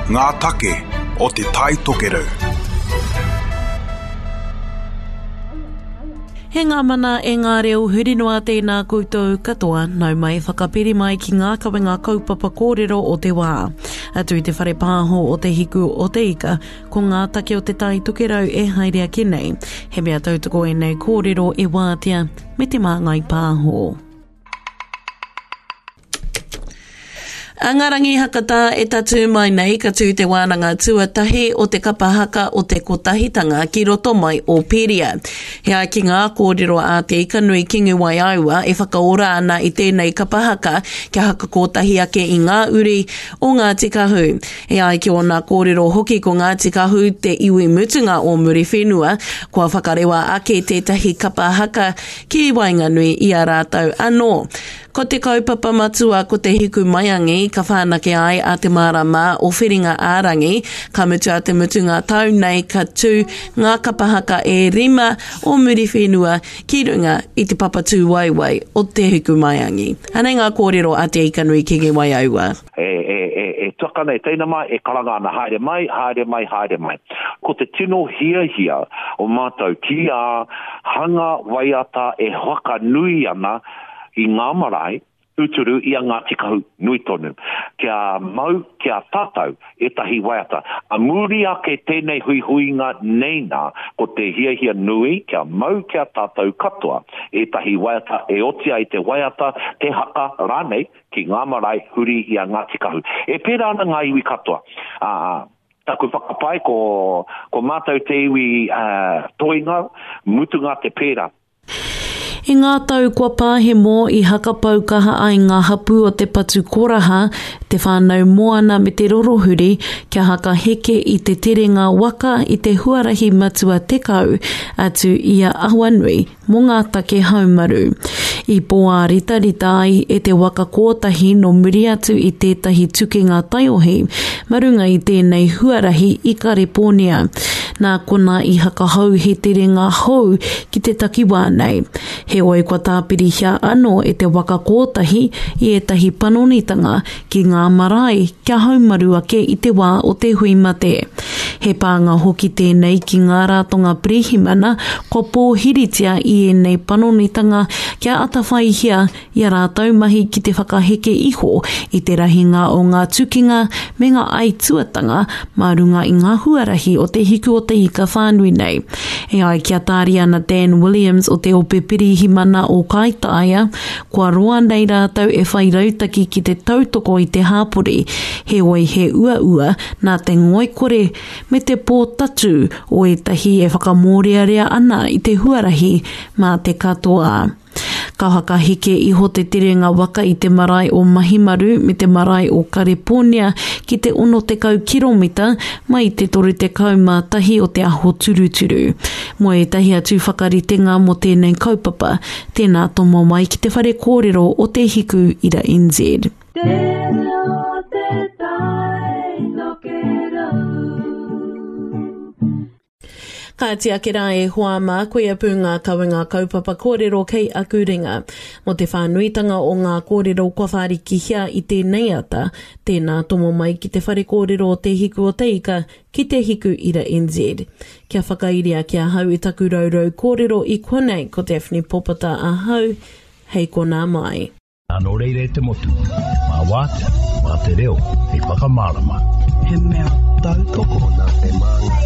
Ngā take o Te Tai Tokerau. He ngā mana e ngā reo huri noa tēnā koutou katoa, nau mai whakapiri mai ki ngā kawenga kaupapa kōrero o te wā. Atu i te whare pāho o Te Hiku o Te Ika, ko ngā take o Te Tai Tokerau e haere ake nei. He mea tautoko ēnei kōrero e wātea me te māngai pāho. A ngā rangi hakatā e tatū mai nei ka tū te wānanga tuatahi o te kapa haka o te Kotahitanga ki roto mai o Pēria. He ai ki ngā kōrero a Te Ikanui Kingi Waiaua e whakaora ana i tēnei kapa haka kia hakakotahi ake i ngā uri o Ngāti Kahu. E ai ki ōna kōrero hoki ko Ngāti Kahu te iwi mutunga o Muriwhenua kua whakarewa ake tētahi kapa haka ki waenganui i a rātou anō. Ko te kaupapa matua ko te hiku maiangi ka whanake ai a Te Marama o Whiringa ā-Rangi, ka mutu a te mutunga tau nei ka tū ngā kapa haka e rima o Muriwhenua ki runga i te papa tūwaewae o Te Hikumaiangi. Anei ngā kōrero a Te Ikanui Kingi Waiaua. E, e, e, e tuakana, e teina mā, e karanga ana, haere mai, haere mai, haere mai. Ko te tino hiahia o mātou ki a hanga waiata e whakanui ana i ngā marae, tūturu i a Ngāti Kahu nui tonu. Kia mau ki a tātou ētahi waiata. A muri ake tēnei huihuinga nei nā, ko te hiahia nui kia mau ki a tātou katoa ētahi waiata e oti ai te waiata, te haka rānei ki ngā marae huri i a Ngāti Kahu. E pērā ana ngā iwi katoa. Ā, taku whakapae ko, ko mātou te iwi toenga, mutunga te pērā. I ngā tau kua pahemo i hakapau kaha ai ngā hapū o Te Patu Koraha, Te Whānau Moana me Te Rorohuri kia hakaheke i te terenga waka i te huarahi matua 10 atu i a Awanui mō ngā take haumaru. I pōāritarita ai e te waka kōtahi nō muri atu i tētahi tukinga taiohi ma runga i tēnei huarahi i Karepōnia. Nā konā i hakahou he terenga hou ki te takiwā nei. Heoi kua tāpirihia anō e te waka kōtahi i ētahi panonitanga ki ngā marae kia haumaru ake i te wā o te hui mate. He pānga hoki tēnei ki ngā ratonga pirihimana kua pōhiritia i ēnei panonitanga kia atawhaihia i a rātou mahi ki te whakaheke iho i te rahinga o ngā tukinga me ngā aituatanga mā runga i ngā huarahi o te hiku o te ika whānui nei. E ai ki a Tāriana Dan Williams o te Ope Pirihimana o Kaitaia, kua roa nei rātou e whai rautaki ki te tautoko i te hāpori, heoi he uaua nā te ngoikore me te pōtatū o ētahi e whakamōrearea ana i te huarahi mā te katoa. Ka whakaheke iho te terenga waka i te marae o Mahimaru me te marae o Karepōnia ki te 60 kiromita mai i te 31 o te aho turuturu. Mō ētahi atu whakaritenga mō tēnei kaupapa, tēnā tomo mai ki te whare kōrero o Te Hiku Ira NZ. Te reo te tai tokerau. Kāti ake rā e hoa mā, koia pū ngā kawenga kaupapa kōrero kei aku ringa. Mō te whānuitanga o ngā kōrero kua whārikihia i tēnei ata, tēnā tomo mai ki te whare kōrero o Te Hiku o Te Ika, ki Te Hiku Ira NZ. Kia whakairia ki ahau i taku rourou kōrero i konei ko Daphne Popata ahau, hei konā mai. Nō reira e te motu, mā Wātea, mā te reo hei whakamārama. He mea tautoko. Nā te māngai.